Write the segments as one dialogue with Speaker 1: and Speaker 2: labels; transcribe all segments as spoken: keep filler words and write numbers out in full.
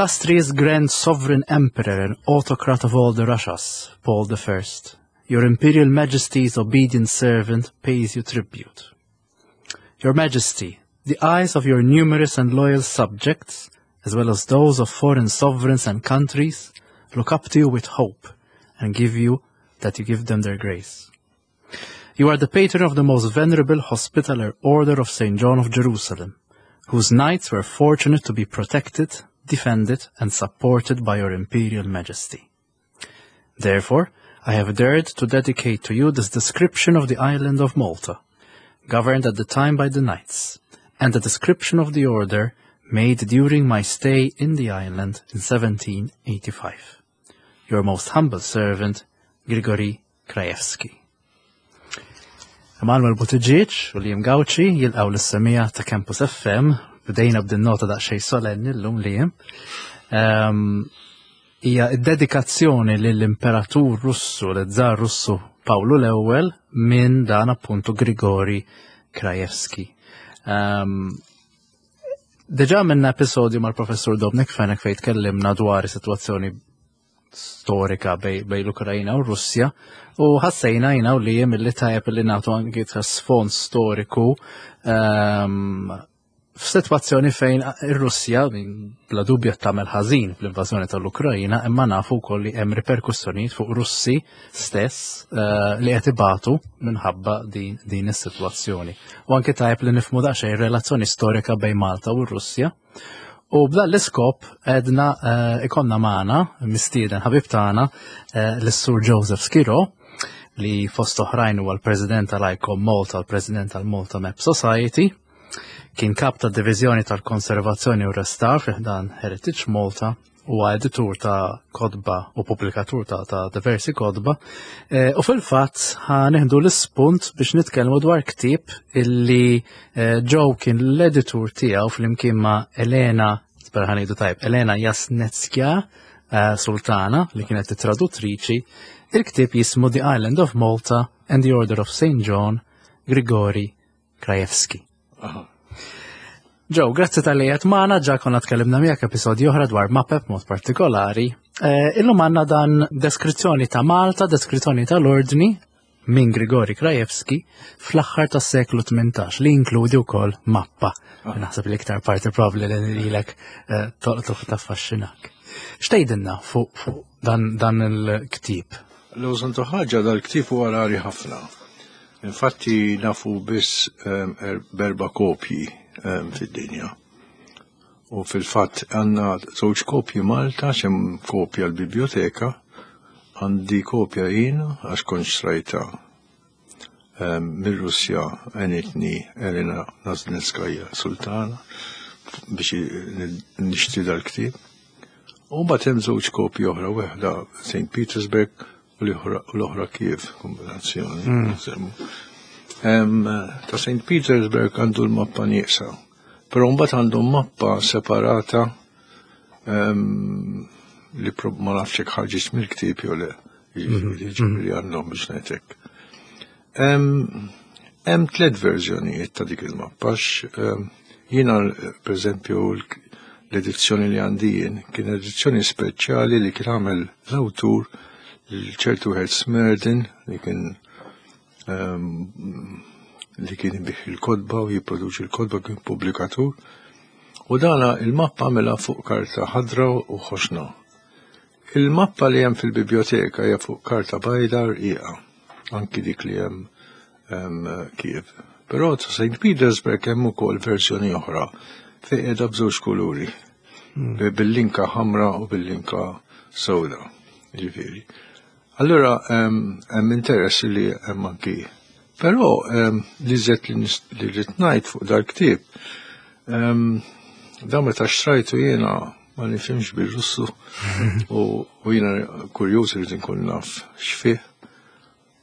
Speaker 1: Illustrious Grand Sovereign Emperor and Autocrat of all the Russias, Paul the First, your Imperial Majesty's obedient servant pays you tribute. Your Majesty, the eyes of your numerous and loyal subjects, as well as those of foreign sovereigns and countries, look up to you with hope and give you that you give them their grace. You are the patron of the most venerable Hospitaller Order of Saint John of Jerusalem, whose knights were fortunate to be protected, defended, and supported by your Imperial Majesty. Therefore, I have dared to dedicate to you this description of the island of Malta, governed at the time by the knights, and the description of the order made during my stay in the island in seventeen eighty-five. Your most humble servant, Grigory Krajewski. Emanuel Buttigieg u Liam Gauci jilqgħu lis-semmiegħa ta' Campus F M. Bdejna b'din nota daqsxejn solenni llum, Liam. Ehm, Hija id-dedikazzjoni lill-Imperatur Russu, l-Żar Russu Pawlu l-Ewwel minn dan appuntu Grigori Krajewski. Um, Diġà għamilna episodju mal-professur Dominic Fenech fejn tkellimna dwar is-sitwazzjoni storika bejn, bejn l-Ukrajina u Russja u ħassejna jiena u Liam li tajjeb li nagħtu anki ta' sfond storiku um, f'sitwazzjoni fejn ir-Russja bla dubju tagħmel ħażin fl-invażjoni tal-Ukrajina, imma nafu wkoll li hemm riperkussjonijiet fuq Russi stess uh, li qed ibatu minħabba din, din is-sitwazzjoni. U anke tajjeb li nifhmu daqsxejn relazzjoni storika bejn Malta u r-Russja. U b'dan l-iskop edna uh, ikollna magħna mistieden ħabib tagħna uh, l-Sur Joseph Schirò, li fost oħrajn huwa l-President tal-ICOM Malta, l-President tal-Malta Map Society, kien kap ta' divizjoni tal-konservazzjoni u restawr fi ħdan Heritage Malta u editur ta' kotba u pubblikatur ta', ta diversi kotba. E, u fil-fatt ħa nieħdu l-ispunt biex nitkellmu dwar ktieb illi e, Joe kien l-editur tiegħu flimkien ma' Elena, spera ħa ngħidu tajjeb, Elena Jasnetskja e, Sultana, li kienet traduttriċi. Il-ktieb jismu The Island of Malta and the Order of Saint John, Grigori Krajewski. Joe, grazzi talli qiegħed magħna, ġa konna tkellimna miegħek episodji oħra dwar mapep mod partikolari. Eh, illum għandna dan deskrizzjoni ta' Malta, deskrizzjoni tal-ordni minn Grigori Krajewski fl-aħħar tas-seklu tmintax li inkludi wkoll mappa. Naħseb li iktar parti probabli li lilek eh, tolqtok, taffaxxinak. X'tgħidilna fuq fuq dan, dan il-ktieb?
Speaker 2: L-użantu ħaġa, dal-ktieb huwa rari ħafna. Infatti nafu biss um, erba' kopji um, fid-dinja. U fil-fatt għandna żewġ kopji Malta, hemm kopja l-biblioteka, għandi kopja jien għax kont xtrajta um, mir-Russja, għenitni Elena Naznetskaja Sultana biex nixtri dal-ktieb. U mbagħad hemm żewġ kopji oħra, waħda Saint Petersburg u l-oħra Kiev, kombinazzjoni. Mm. Ta' Saint Petersburg għandu l-mappa nieqsa, però mbagħad għandu mappa separata li ma nafx jekk ħarġitx mill-ktieb jew le, jiġifieri għandhom biex ngħidlek. Hemm tliet verżjonijiet ta' dik il-mappa. Jiena, pereżempju, l-edizzjoni li għandi jien kien edizzjoni speċjali li kien għamel l-awtur, ċertu wieħed Smerdin, li kien li kien ibigħ il-kotba u jipproduċi l-kotba, kien pubblikatur. U dana il-mappa għamela fuq karta ħadra u ħoxna. Il-mappa li hemm fil-biblioteka hija fuq karta bajda rqiqa, anki dik li hemm Kiev. Però ta' Saint Petersburg hemm ukoll verżjoni oħra fejn qiegħda b'żewġ kuluri. Hmm. Bil-linka ħamra u bil-linka sewda. Ġifieri. Allura hemm interess li hemm anki. Però li żed li rrid ngħid fuq dal-ktieb, da meta xtrajtu jiena ma nifhimx bil-Russu u jiena kurjuż, rrid inkun naf x'fih.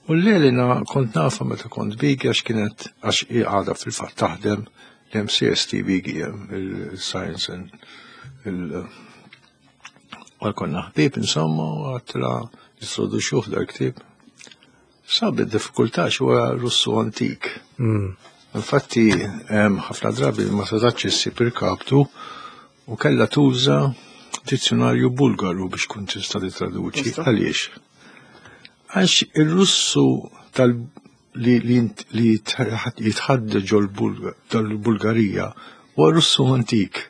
Speaker 2: U l-Elena kont nafa meta kont Bigi, għax kienet, għax għadha fil-fatt taħdem l-M C S T Bigi, il-Science and il- Għal konna ħbib insomma, u għedtilha jittraduċuh dal-ktieb. Sabet diffikultà, huwa Russu antik. Mm. Infatti, ħafna drabi ma setax issib il-kaptu u kella tuża Dizzjonarju Bulgaru biex kun tista' titraduċi. Għaliex? Għax ir-Russu tal li, li, li jitħaddet ġol tal-Bulgarija huwa Russu antik.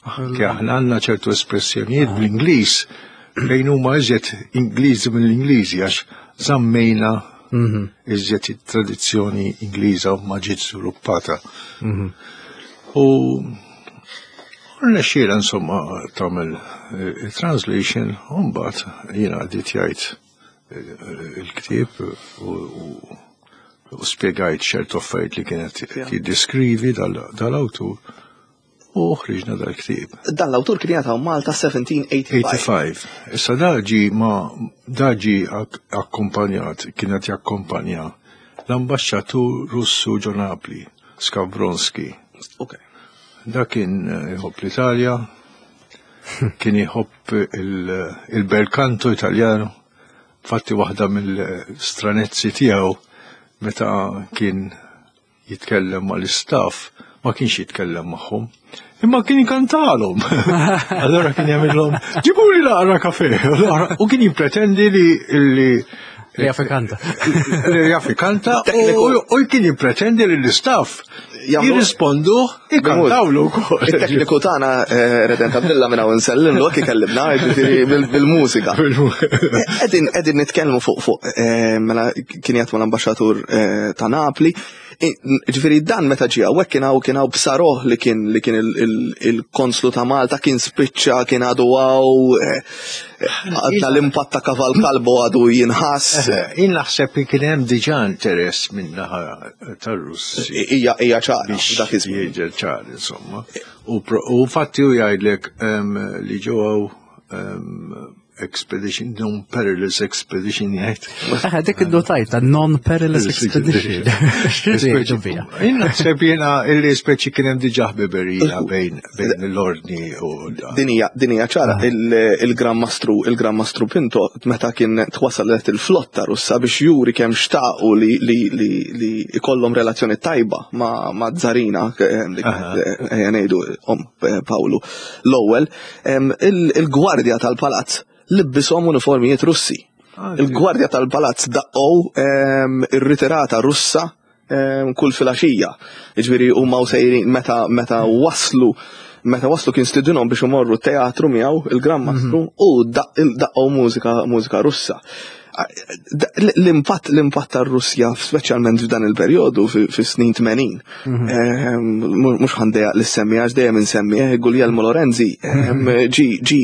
Speaker 2: Anke aħna għandna ċertu espressjonijiet bl-Ingliż fejn huma iżjed Ingliżi mill-Ingliżi għax żammejna iżjed it-tradizzjoni Ingliża u ma ġiet żviluppata. U rnexxiela insomma tagħmel eh, translation u mbagħad jiena editjajt eh, il-ktieb u, u, u spjegajt ċertu affarijiet li kienet jiddeskrivi dal-awtur u ħriġna dal-ktieb.
Speaker 3: Dan l-awtur kien jgħataw Malta seventeen eighty-five.
Speaker 2: eighty-five. Issa daġi ma daġi ak- akkompanjat, kienet jakkompanja l-ambasċatur Russu ġo Napli, Skavronski.
Speaker 3: Ok.
Speaker 2: Da kien eh, jħobb l-Italja, kien jħobb il- il-bel canto italjano. Fatti waħda mill-stranezzi tiegħu, meta kien jitkellem mal-istaff, ma kienx jitkellem magħhom, imma kien jkantalhom. Allora kien jagħmilhom: "Ġibuli naqra kafè." U kien jippretendi li li
Speaker 1: Li jaf ikanta.
Speaker 2: Li jaf ikanta u u kien jippretendi li l-istaff
Speaker 3: Jagħmlu-
Speaker 2: jirrispondu ikantawlu wkoll.
Speaker 3: Il-tekniku tagħna eh, Redent Abdilla minn hawn nsellimlu hekk ikellimna, jiġifieri bil- bil-mużika. Qegħdin qegħdin nitkellmu fuq fuq eh, mela kien jgħid mal-ambaxxatur eh, ta' Napli. Ġifieri dan meta ġie hawnhekk kien hawn kien hawn Psaroh li kien li kien il- il- il-konslu ta' Malta, kien spiċċa, kien għadu hawn, għadna l-impatt ta' Kaval Kalbo għadu jinħass.
Speaker 2: Jien naħseb li kien hemm diġà interess minn naħa tar-Russi.
Speaker 3: Hija hija ċara
Speaker 2: Biex
Speaker 3: dak iż-żmien.
Speaker 2: jiġi ċar, insomma. U pro- U fatti u jgħidlek em, li ġew em, expedition, non-perilous expedition jgħid.
Speaker 1: Eħe, dik id-dotajt ta' non-perilous expedition. X'irridu bija?
Speaker 2: Jien naħseb jiena illi speċi kien hemm diġà ħbiberija bejn bejn l-ordni u
Speaker 3: Din hija din hija ċara. il- il-Gran Mastru il-Gran Mastru Pinto, meta kien twasalet il-flotta Russa biex juri kemm xtaqu li li li li ikollhom relazzjoni tajba ma' ma' Zarina eh, li kienet, eh, ngħidu om eh, Pawlu l-ewwel, em, il- il-gwardja tal-palazz libbishom uniformijiet Russi.
Speaker 2: Ah,
Speaker 3: Il-gwardja tal-palazz daqqow em, ir-ritirata Russa em, kull filgħaxija. Jiġifieri huma u sejrin meta meta waslu meta waslu kien stidinhom biex imorru teatru miegħu il-Gran Mastru u daqqgħu mużika mużika Russa. L-impatt l-impatt tar-Russja, speċjalment f'dan il-perjodu fis-snin tmenin. Ehm, mhux ħa ndejjaq li semmi għax dejjem insemmi eh, Guglielmo Lorenzi ehm, ġi ġi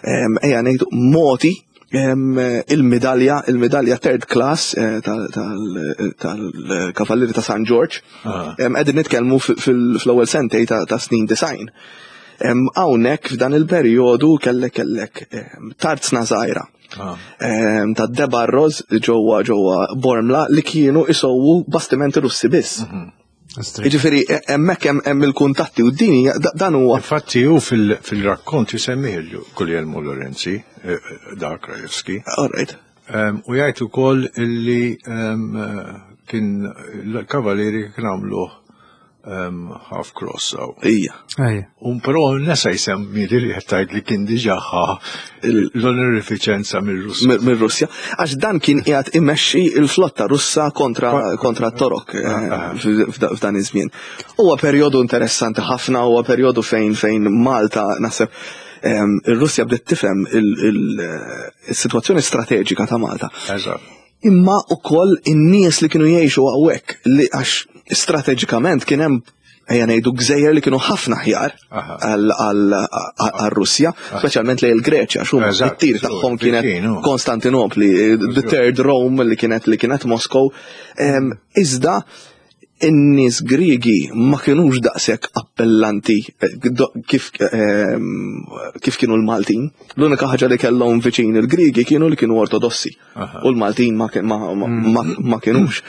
Speaker 3: ehm, ejja ngħidu moti il-medalja il-medalja third class eh, tal-Kavallieri ta' San George.
Speaker 2: Ah.
Speaker 3: Qegħdin nitkellmu fl-ewwel sentej ta' snin design. Hawnhekk f'dan il-perjodu kellek kellek tarzna żgħira
Speaker 2: Ah.
Speaker 3: ta' De Barros ġewwa ġewwa Bormla li kienu isowu bastimenti Russi biss.
Speaker 2: Mhm.
Speaker 3: Jiġifieri e- hemmhekk hemm il-kuntatti u dini dan huwa.
Speaker 2: Infatti hu fil-rakkont jisemmih Guglielmo Lorenzi, eh, eh, dak Krajewski.
Speaker 3: All right.
Speaker 2: U jgħid ukoll illi kien l-kavalieri kien għamlu half cross aw.
Speaker 3: Ija.
Speaker 2: Un però nesa jsemmi li li tgħid li kien diġà ħa l-onorifiċenza mir-Russja.
Speaker 3: Mir-Russja. Għax dan kien qiegħed imexxi il-flotta Russa kontra kontra t-Torok eh, ah, ah. f'dan iż-żmien. Huwa perjodu interessanti ħafna, huwa perjodu fejn fejn Malta, naħseb, ir-Russja bdiet tifhem il-sitwazzjoni strateġika ta' Malta. Imma ukoll in-nies li kienu jgħixu hawnhekk, li għax strateġikament kien hemm, ejja ngħidu, gżejjer li kienu ħafna ħjar għal-Russja, speċjalment lejn il-Greċja, xum it-tir tagħhom kienet Konstantinopli, the Third Rome li kienet li kienet Moskow. Iżda in-nies Griegi ma kienux daqshekk appellanti eh, kif kif kienu l-Maltin. L-unika ħaġa li kellhom viċin il-Griegi kienu li kienu ortodossi. U l-Maltin ma, ma, ma, ma kienux.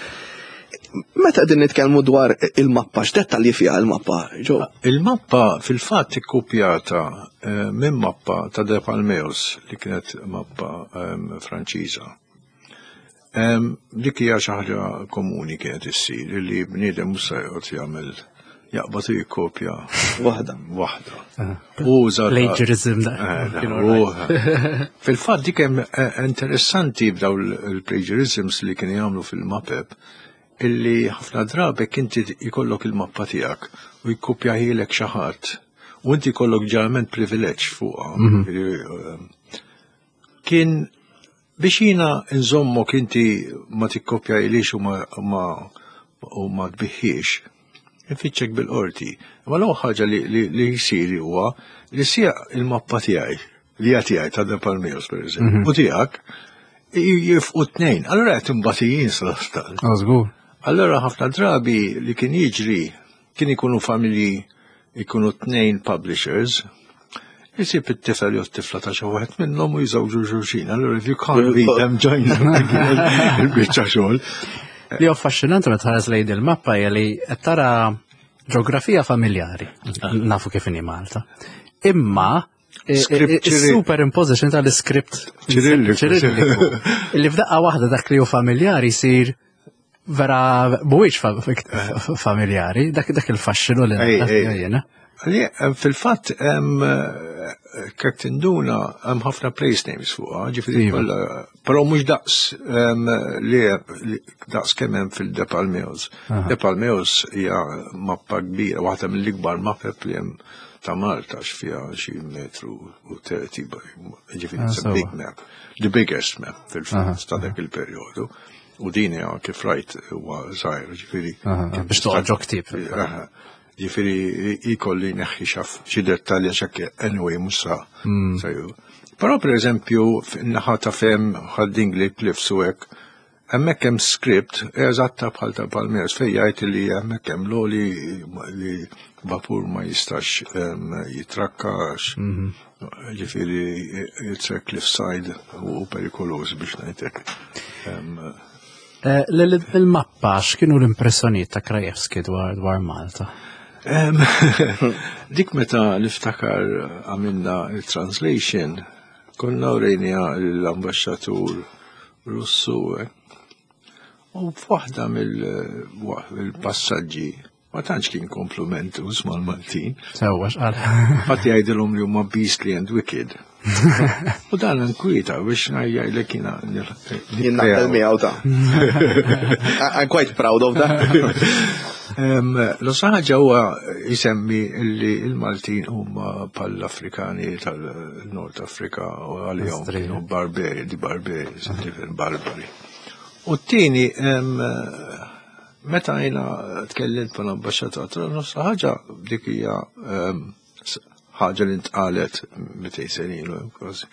Speaker 3: Meta din nitkellmu dwar il-mappa, x'dettalji fiha il-mappa, ġo?
Speaker 2: Il-mappa fil-fatt ikkupjata eh, minn mappa ta' De Palmeus li kienet mappa ehm, Franċiża. Ehm, Dik hija xi ħaġa komuni kienet issir li bniedem mhux se joqgħod jagħmel jaqbad u jikkopja
Speaker 3: Waħda.
Speaker 2: Waħda. Uża
Speaker 1: Plagiarism da.
Speaker 2: Eh,
Speaker 1: Kienu
Speaker 2: u- Fil-fatt dik hemm eh, interessanti b'daw il-plagiarisms li kienu jagħmlu fil-mapep, illi ħafna drabi inti jkollok il-mappa tiegħek u jikkopjahielek xi ħadd u inti jkollok ġeneralment privileġġ fuqha. Ġifieri, eh, Kien biex jiena nżommok inti ma tikkopjahilix u ma ma u ma tbigħhiex, infittxek bil-qorti. Ma l ħaġa li, li, li jisir huwa li sija il-mappa tiegħi, li hija tiegħi ta' De Palmeos, per eżempju, u tiegħek jifqu tnejn. Allura qed imbatijin sal-astal.
Speaker 1: Oh, żgur.
Speaker 2: Allora ħafna drabi li kien jiġri kien ikunu familji, ikunu tnejn publishers, jisib it-tifel jew t-tifla ta' xi wieħed minnhom u jżewġu xulxin. Allora if you can't beat them, join them. Il-biċċa xogħol.
Speaker 1: Li affaxxinanti meta tħares lejn il-mappa hija li qed tara ġeografija familjari. Nafu kif inhi Malta. Imma
Speaker 2: Script Ċirilliku.
Speaker 1: superimposition tal-script
Speaker 2: Ċirilliku.
Speaker 1: Ċirilliku. Illi f'daqqa waħda dak li hu familjari jsir vera mhuwiex fa- familjari, dak dak il-faxxinu li
Speaker 2: Ej, ej.
Speaker 1: jiena.
Speaker 2: Għalli, em, fil-fatt, em, eh, kek tinduna, hemm ħafna place names fuqha, ġifieri
Speaker 1: Iva.
Speaker 2: kollha, però mhux daqs em, li li- daqs kemm hemm fil-De Palmeos. De Palmeos hija mappa kbira, waħda mill-ikbar mapep li hemm ta' Malta, x'fiha xi metru u thirty, ġifieri
Speaker 1: Ah,
Speaker 2: it's a
Speaker 1: sewwa.
Speaker 2: big map, the biggest map fil-fatt ta' dak il-perjodu. U din hija kif rajt huwa żgħir, ġifieri.
Speaker 1: Aha, biex toqgħod ġo ktieb.
Speaker 2: Aha. Ġifieri ikolli neħħi xaf xi dettalji x'hekk anyway mhux sa sa ju. Però per eżempju naħa ta' fem Ħad-Dingli Cliffs u hekk, hemmhekk hemm script eżatta bħal ta' Palmeos fejn jgħid li hemmhekk hemm loli li vapur ma jistax em, jitrakkax. Ġifieri it's a cliffside u perikoluż biex ngħidlek. Em,
Speaker 1: Eh, l- Il-mappa x'kienu l-impressjonijiet ta' Krajewski dwar dwar Malta?
Speaker 2: Em, Dik meta niftakar għamilna il-translation, konna urejnieha l-ambasċatur Russu, eh. U f'waħda mill-passaġġi, ma tantx kien komplimentuż mal-Maltin,
Speaker 1: Sewwa x'qal.
Speaker 2: Fatti jgħidilhom li huma beastly and wicked. U dan nkwieta biex ngħidlek jiena.
Speaker 3: Jien naqbel miegħu ta'. I'm quite proud of that.
Speaker 2: L-ħaġa huwa jisemmi li il-Maltin huma pal-Afrikani tal-Nord Afrika u għalihom
Speaker 1: Astri.
Speaker 2: kienu barberi, di barberi, barbari. U t-tieni, meta jiena tkellimt mal ambasċatur, nofs ħaġa dik hija em, s- ħaġa li ntqalet mitejn sena ilu kważi.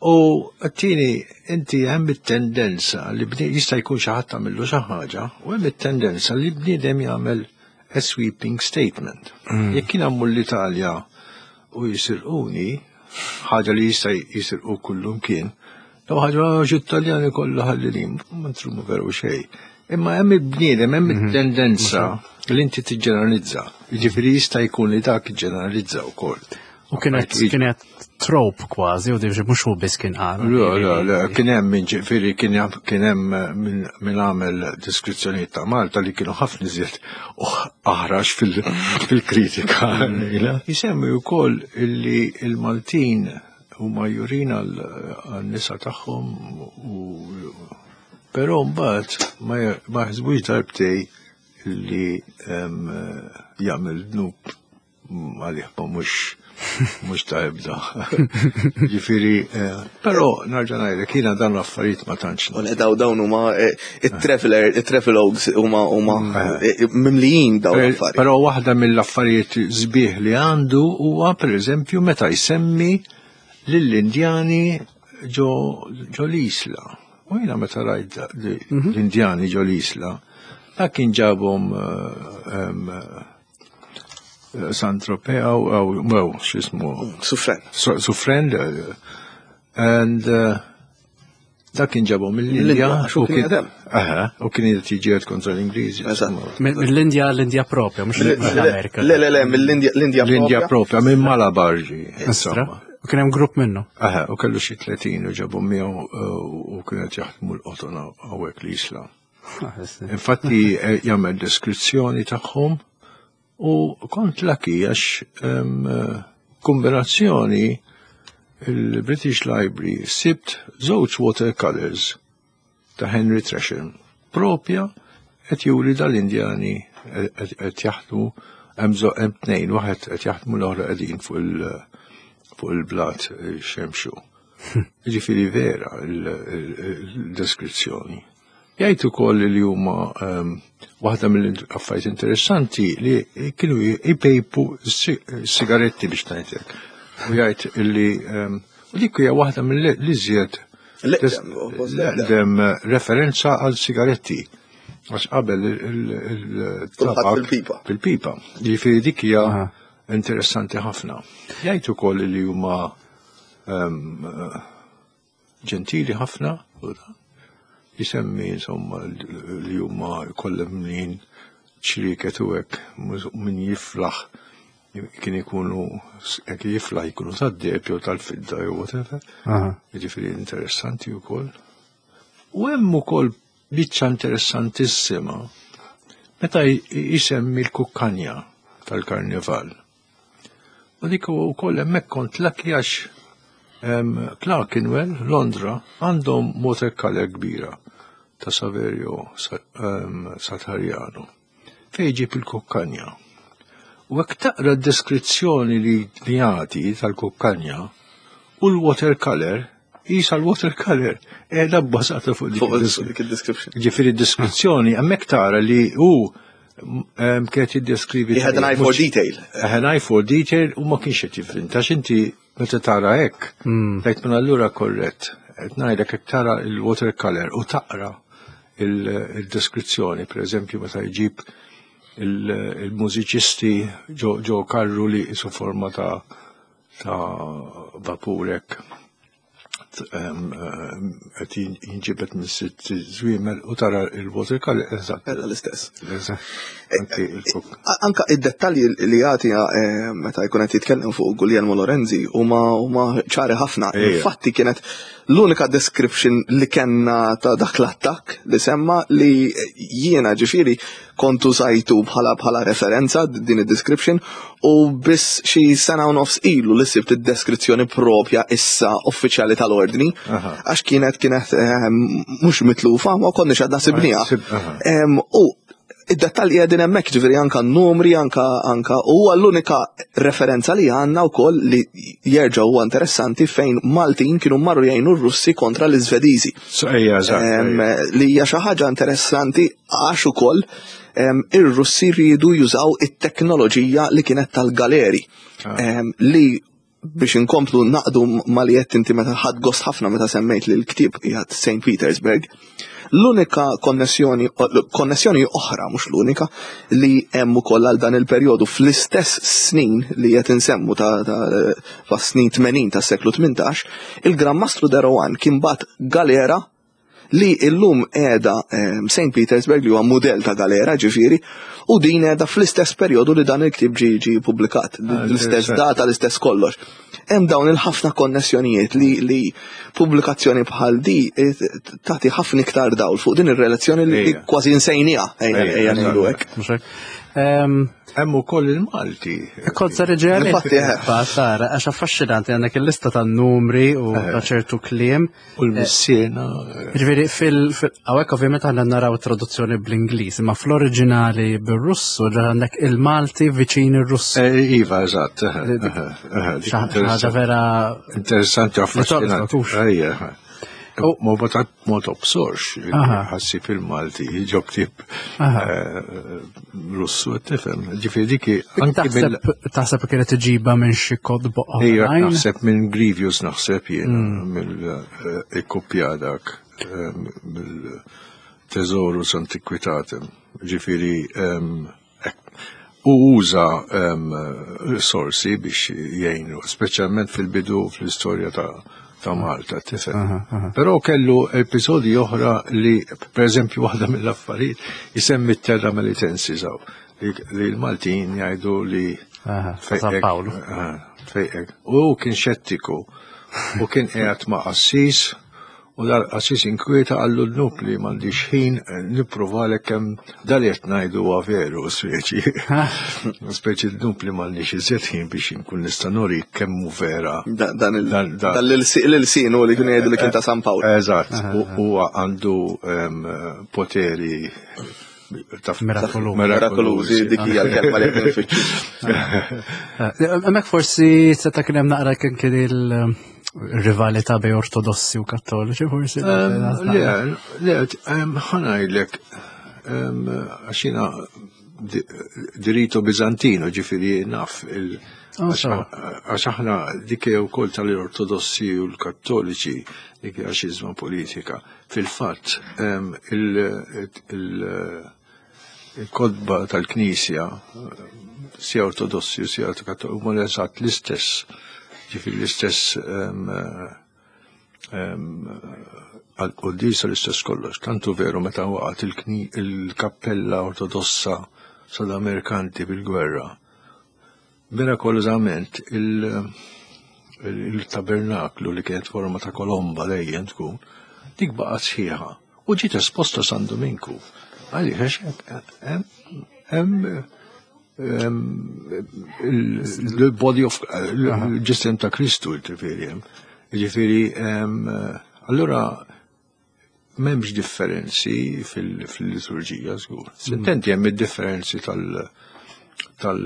Speaker 2: U t-tieni, inti hemm it-tendenza li bni jista' jkun xi ħadd tagħmillu xi ħaġa, u hemm it-tendenza li bniedem jagħmel a sweeping statement. Jekk jien mmur l-Italja u jisirquni, ħaġa li jista' jisirqu kullum kien, law ħaġa xi Italjani kollha ħallilin, ma ntrumu veru xejn. Imma hemm il-bniedem, hemm it-tendenza li inti tiġġeneralizza. Jiġifieri jista' jkun li dak iġġeneralizza wkoll.
Speaker 1: U kienet kienet trope kważi, u diġi mhux hu biss kien qal.
Speaker 2: Le, le, le, kien hemm min ġifieri kien hemm kien hemm min min għamel deskrizzjonijiet ta' Malta li kienu ħafna iżjed aħrax fil- fil-kritika. Jisemmi wkoll illi il-Maltin huma jurin għal-nisa tagħhom u però mbagħad ma ma jaħsbux darbtej illi em, jagħmel dnub għalih ma mhux mhux ta' ebda. Ġifieri, eh, però nerġa' ngħidlek jiena dan l-affarijiet ma tantx
Speaker 3: U le daw dawn huma eh, it-traveler, it-travelogues huma huma eh, mimlijin dawn l-affarijiet.
Speaker 2: Però waħda mill-affarijiet sbieħ li għandu huwa pereżempju meta jsemmi lill-Indjani ġo ġo l-Isla. U jiena meta rajt li- l-Indjani ġo l-Isla, dak kien ġabhom eh, em, eh, Saint-Tropez u u x'ismu
Speaker 3: Suffren.
Speaker 2: Su- Suffren eh, and uh, dak kien ġabhom mill-Indja
Speaker 3: Mill-Indja, għax hu
Speaker 2: u
Speaker 3: kien
Speaker 2: kien
Speaker 3: jadem.
Speaker 2: Aha, u kien qed jiġġieled kontra l-Ingliżi.
Speaker 3: Eżatt.
Speaker 1: Mill-Indja, l-Indja propja, mhux mill-Amerika.
Speaker 3: Le, le, le, mill-Indja l-Indja
Speaker 2: L-Indja propja minn Malabar ġi.
Speaker 1: Istra.
Speaker 2: Insomma.
Speaker 1: U kien hemm grupp minnu.
Speaker 2: Aha, u kellu xi tletin u ġabhom miegħu uh, u kienet jaħdmu l-qoton hawnhekk l-Isla. Infatti eh, jagħmel deskrizzjoni tagħhom U kont lucky għax em, kombinazzjoni il-British Library sibt żewġ watercolors ta' Henry Tresham propja qed juri dal-Indjani qed jaħdmu hemm żo- hemm tnejn, waħed qed jaħdmu, l-oħra qegħdin fuq il- fuq il-blat xemxu. Ġifieri vera il-deskrizzjoni. Jgħid ukoll li huma ehm, waħda mill-affarijiet interessanti li kienu jpejpu sigaretti biex ngħidlek. U jgħid illi ehm, u dik hija waħda mill-iżjed l-eqdem referenza għal sigaretti. Għax qabel il-tabak
Speaker 3: fil-pipa.
Speaker 2: Fil-pipa. Ġifieri dik hija interessanti ħafna. Jgħid ukoll li huma ehm, ġentili ħafna, u da. Jisemmi insomma li huma kollha mnin ċriket u hekk, min jiflaħ kien ikunu jekk jiflaħ jkunu tad-deheb jew tal-fidda jew whatever. Jiġifieri interessanti wkoll. U hemm ukoll biċċa interessantissima meta jisemmi l-kukkanja tal-karnival. U dik ukoll hemmhekk kont lucky għax Clerkenwell, Londra, għandhom watercolor kbira ta' Saverio Satariano fejn ġib il-kukkanja. U hekk taqra d-deskrizzjoni li jagħti tal-kukkanja u l-watercolor, jisa l-watercolor qiegħda bbażata fuq
Speaker 3: dik id-description.
Speaker 2: Ġifieri d-deskrizzjoni hemmhekk tara li hu kienet jiddeskrivi.
Speaker 3: He had an eye for detail.
Speaker 2: Had an eye for detail u ma kienx qed jivvinta inti meta tara hekk, tgħid minn allura korrett. Qed ngħidlek hekk tara il-watercolor u taqra il-deskrizzjoni, per eżempju meta jġib il-mużiċisti ġo karru li su forma ta' ta' vapurek qed jinġibet minn sitt żwiemel u tara il-watercolor eżatt.
Speaker 3: L-istess. Anka id-dettalji li jagħti eh, meta jkun qed jitkellem fuq Guglielmo Lorenzi huma huma ċari ħafna. Infatti kienet l-unika description li kellna ta' dak l-attakk li semma li jiena ġifieri kontu sajtu bħala bħala referenza din id-description u biss xi sena u nofs ilu li sibt id-deskrizzjoni propja issa uffiċjali tal-ordni għax kienet kienet eh, mhux mitlufa ma konniex għadna sibniha. U id-dettalji qegħdin hemmhekk, ġifieri anka n-numri, anka anka u l-unika referenza li għandna wkoll li jerġa' huwa interessanti fejn Maltin kienu marru jgħinu r-Russi kontra l-Iżvediżi. Li hija xi ħaġa interessanti għax ukoll ir-Russi rridu jużaw it-teknoloġija li kienet tal-galeri ah. li biex inkomplu naqdu ma li qed inti meta ħadt gost ħafna meta semmejt li l-ktieb qiegħed Saint Petersburg. L-unika konnessjoni, konnessjoni oħra, mhux l-unika, li hemm ukoll għal dan il-perjodu fl-istess snin li qed insemmu ta' ta' snin tmenin tas-seklu tmintax, il-Gran Mastru de Rohan kien bagħat galera li illum qiegħda Saint Petersburg, li huwa mudell ta' galera ġifieri, u din qiegħda fl-istess perjodu li dan il-ktieb ġi ġi publikat,
Speaker 2: ah,
Speaker 3: l-istess data, l-istess kollox. Hemm dawn il-ħafna konnessjonijiet li, li pubblikazzjoni bħal di eh, tagħti ħafna iktar dawl fuq din ir-relazzjoni li kważi nsejniha, ejja ngħidu hekk.
Speaker 2: Hemm ukoll il-Malti.
Speaker 1: Kont se reġeli.
Speaker 3: Infatti, eh.
Speaker 1: Tara, għax affaxxinanti għandek il-lista ta' numri u ta' ċertu kliem.
Speaker 2: U l-missiena.
Speaker 1: Ġifieri fil hawnhekk ovvjament aħna naraw traduzzjoni bl-Ingliż, imma fl-oriġinali bir-Russu ġa għandek il-Malti viċin ir-Russu.
Speaker 2: Eh, iva, eżatt.
Speaker 1: Ħaġa vera
Speaker 2: Interessanti, affaxxinanti.
Speaker 1: Ejja.
Speaker 2: Ma ma tobsorx, ħassib il-Malti, ġo ktieb eh, Russu, tifhem. Ġifieri dik
Speaker 1: Taħseb kienet iġiba minn xi kotba
Speaker 2: Ejja, naħseb minn Grevius, naħseb jien, mm. mill-ikkopja dak, eh, mill-Thesaurus Antiquitatum. Ġifieri, u uża sorsi biex jgħinu, speċjalment fil-bidu fl-istorja ta' ta' Malta, tifhem. Però kellu episodi oħra li, per eżempju, waħda mill-affarijiet jisemmi Terra Melitensis li l-Maltin jgħidu li
Speaker 1: San Paolo.
Speaker 2: Fejqek. U kien xettiku u kien qiegħed ma' qassis U dal-qassis inkwieta, qallu, "Dnub li m'għandix ħin nipprovalek kemm dal qed ngħidu huwa veru", speċi. Speċi dnub li m'għandix iżjed ħin biex inkun nista' nuri kemm hu vera.
Speaker 3: Dan l-ilsien li kien jgħidu li kien ta' San Pawl.
Speaker 2: Eżatt, huwa għandu poteri
Speaker 3: Mirakolużi, dik hija l-kelma li qed nfittxu.
Speaker 1: Hemmhekk forsi seta' kien hemm naqra kien kien il-rivalità bejn ortodossi u kattoliċi forsi.
Speaker 2: Le, le, ħa ngħidlek, għax jiena di rito Bizantino, ġifieri naf il-
Speaker 1: Oh,
Speaker 2: għax aħna dik wkoll tal-ortodossi u l-kattoliċi, dik hija xiżma politika. Fil-fatt, il-kotba tal-Knisja, sia ortodossi u sia kattoliċi, huma eżatt l-istess, ġifieri l-istess għal-qoddisa, l-istess kollox. Tantu veru meta waqgħet il-kappella ortodossa Strada Mercanti bil-gwerra, mirakolosament il-tabernaklu li kienet forma ta' kolomba dejjem tkun, dik baqgħet sħiħa u ġiet esposta San Dominku. Għaliex hemm il-body of il-ġisem ta' Kristu, ġifieri hemm. Ġifieri, allura m'hemmx differenzi fil-liturġija żgur. S'intendi hemm id-differenzi tal- tal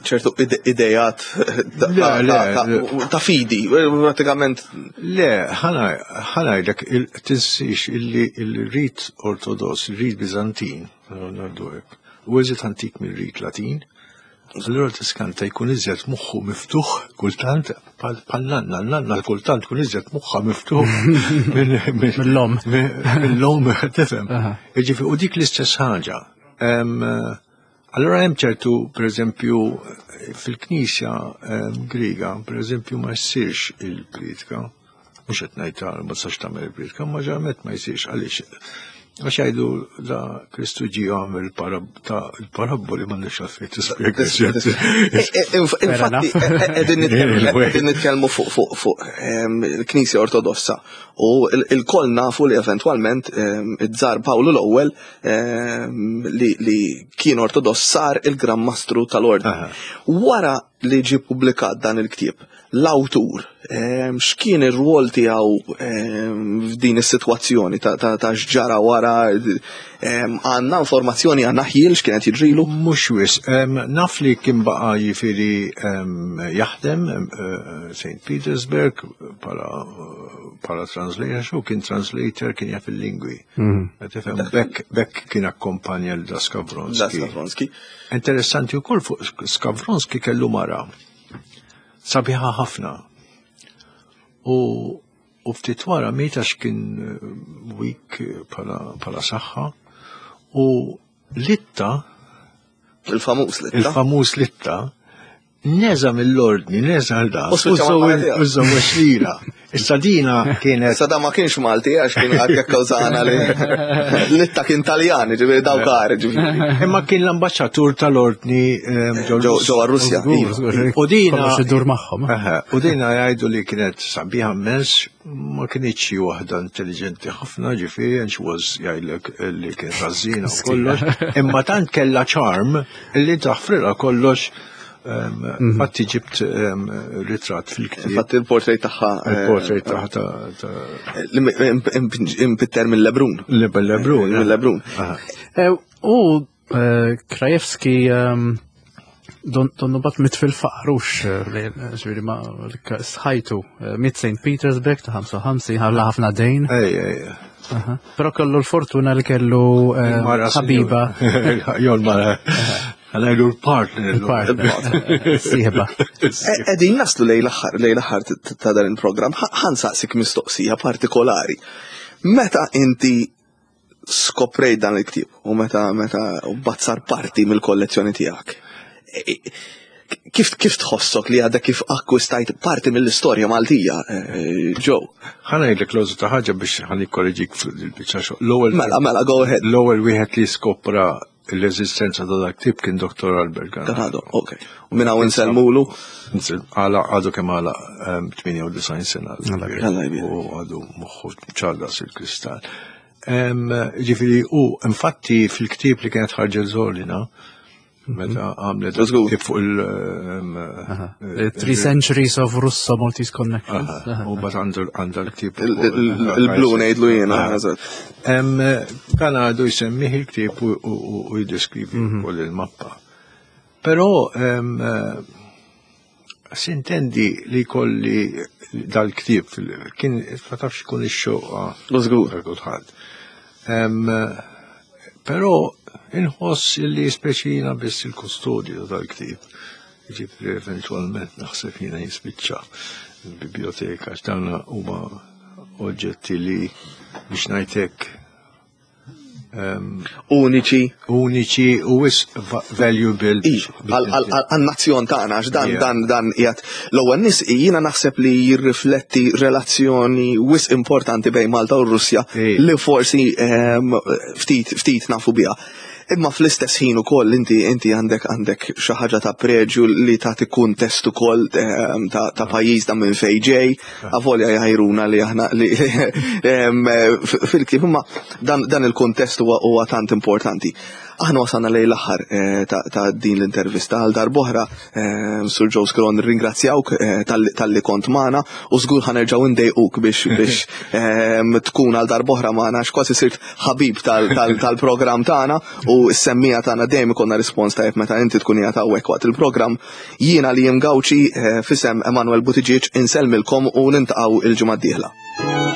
Speaker 3: ċertu idejat ta' fidi, pratikament.
Speaker 2: Le, ħa ngħidlek, tinsiex illi il-rit ortodoss, il-rit Bizantin, u eżiet antik mill-rit Latin, allura tiskanta jkun iżjed moħħu miftuħ kultant, bħal nanna, nanna kultant kun iżjed moħħa miftuħ
Speaker 1: mill-lom.
Speaker 2: Mill-lom, tifhem. Ġifieri, u dik l-istess ħaġa. Allora hemm ċertu, per eżempju, fil-Knisja Griega, per eżempju, ma jsirx il-pritka, mhux qed ngħid ma tistax tagħmel il-pritka, ma ġeneralment ma jsirx. Għaliex? Għax jgħidu da Kristu ġie għamel il-parabboli, ma nix għalfejn tispjega.
Speaker 3: Infatti, qegħdin nitkellmu fuq fuq il-Knisja Ortodossa u il-koll nafu li eventwalment iż-Żar Pawlu l-ewwel li kien ortodoss sar il-Gran Mastru tal-Ordni. Wara li ġie publikat dan il-ktieb, l-awtur, x'kien ir-rwol tiegħu f'din is-sitwazzjoni ta' x'ġara wara? Għandna informazzjoni, għandna ħjiel x'kienet jiġrilu?
Speaker 2: Mhux wisq, naf li kien baqa' jiġifieri jaħdem Saint Petersburg bħala translator, xu kien translator, kien jaf il-lingwi. Tifhem, bekk kien akkompanja l Skavronski.
Speaker 3: Skavronski.
Speaker 2: Interessanti wkoll fuq Skavronski, kellu mara sabiħa ħafna. U u ftit wara miet għax kien weak bħala saħħa u Litta
Speaker 3: Il-famuż Litta.
Speaker 2: Il-famuż Litta neża' mill-ordni, neża' l-da.
Speaker 3: U spiċċa mal-mara
Speaker 2: U żżewweġ lilha. Issa dina kienet.
Speaker 3: Issa da ma kienx Malti, għax kien għad kkawżana li Litta kien Taljan, ġifieri daw kar, ġifieri.
Speaker 2: Imma kien l-ambasċatur tal-ordni ehm,
Speaker 3: Ġew ġewwa Russja.
Speaker 1: Żgur, żgur.
Speaker 2: U dina
Speaker 1: Kollox idur magħhom.
Speaker 2: Aha, u dina jgħidu li kienet sabiħa immens, ma kienx xi waħda intelligenti ħafna, ġifieri, and she was, jgħidlek li kienet ħażina u kollox, imma tant kellha charm li taħfrilha kollox. Ehm, Fatti ġibt ehm, ritratt fil-ktieb.
Speaker 3: Infatti il-portrait tagħha eh,
Speaker 2: Il-portrait ta' ta' ta'
Speaker 3: li impitter minn Lebrun.
Speaker 2: Lebrun.
Speaker 3: Minn Lebrun.
Speaker 2: Aha.
Speaker 1: Eh, U eh, Krajewski ehm, don donnu bat miet fil-faqar, eh, li ġifieri ma sħajtu eh, miet Saint Petersburg ta' ħamsa u ħamsin, ħalla ħafna dejn.
Speaker 2: Ej, ej.
Speaker 1: Aha. Però kellu l-fortuna li kellu eh,
Speaker 2: Il-mara
Speaker 1: ħabiba.
Speaker 2: Jo l-mara. Ħa ngħidu l-partner.
Speaker 1: Il-partner. Sieħba.
Speaker 3: Qegħdin naslu lejn l-aħħar lejn l-aħħar t- ta' dan il-programm, ħa nsaqsik mistoqsija partikolari. Meta inti skoprejt dan il-ktieb u meta meta bazzar parti mill-kollezzjoni tiegħek, e- e- Kif kif tħossok li għadha kif akkwistajt parti mill-istorja Maltija, eh, Joe?
Speaker 2: Ħa ngħidlek l ta' ħaġa biex ħa nikkoreġik fil-biċċa xogħol. L-ewwel
Speaker 3: Mela, mela, go ahead.
Speaker 2: L-ewwel wieħed li skopra l-eżistenza ta' dak ktieb kien Dottor Albert
Speaker 3: Ganado. Ganado, ok. U minn hawn insellmulu.
Speaker 2: Għala għadu kemm għala tmienja u disgħin sena.
Speaker 3: Alla jbierek.
Speaker 2: U għadu moħħu ċar daqs il-kristall. Ġifieri, u infatti fil-ktieb li kienet ħarġet Zorlina, meta għamlet
Speaker 3: Żgur.
Speaker 2: ktieb fuq il- em,
Speaker 1: Uh, Three Centuries of Russo-Maltese Connections.
Speaker 2: Aha, U bat għandu għandu l-ktieb.
Speaker 3: Il-blu ngħidlu jiena. Eżatt.
Speaker 2: Em, Kan għadu jisemmih il-ktieb u- u u jiddeskrivi wkoll il-mappa. Però em, eh, sintendi li kolli dal-ktieb fil- kien ma tafx ikun ix-xewqa
Speaker 3: Żgur.
Speaker 2: ta' kulħadd. Em, Però inħoss li speċi jiena biss il-kustodju tal-ktieb. Ġifieri eventualment naħseb jiena jispiċċa il-biblioteka, għax dawn huma oġġetti li biex ngħidlek
Speaker 3: Uniċi.
Speaker 2: uniċi u wisq va- valuable.
Speaker 3: Għal-nazzjon tagħna, għax dan
Speaker 2: Yeah.
Speaker 3: dan dan qiegħed l-ewwel nies jiena naħseb li jirrifletti relazzjoni wisq importanti bejn Malta u Russja
Speaker 2: Ija.
Speaker 3: li forsi ehm, ftit ftit nafu biha. Imma fl-istess ħin ukoll inti inti għandek għandek xi ħaġa ta' preġju li tagħti kuntest ukoll ehm, ta' ta' pajjiż ta' minn fejn ġej, avolja jgħajruna li aħna li ehm, f- fil-ktieb imma dan dan il-kuntest huwa huwa tant importanti. Aħna wasalna lejn l-aħħar eh, ta' ta' din l-intervista għal darb'oħra eh, Sur Joe Skron ringrazzjawk eh, tal- talli kont magħna u żgur ħa nerġgħu ndejquk biex biex ehm, tkun għal darb'oħra magħna għax kważi sirt ħabib tal- tal- tal-programm tagħna u s-semmiegħa tagħna dejjem ikollna rispons tajjeb meta inti tkun qiegħed hawnhekk waqt il-programm. Jiena li Gawċi eh, f'isem Emanuel Buttigieg insellmilkom u niltaqgħu il-ġimgħa d-dieħla.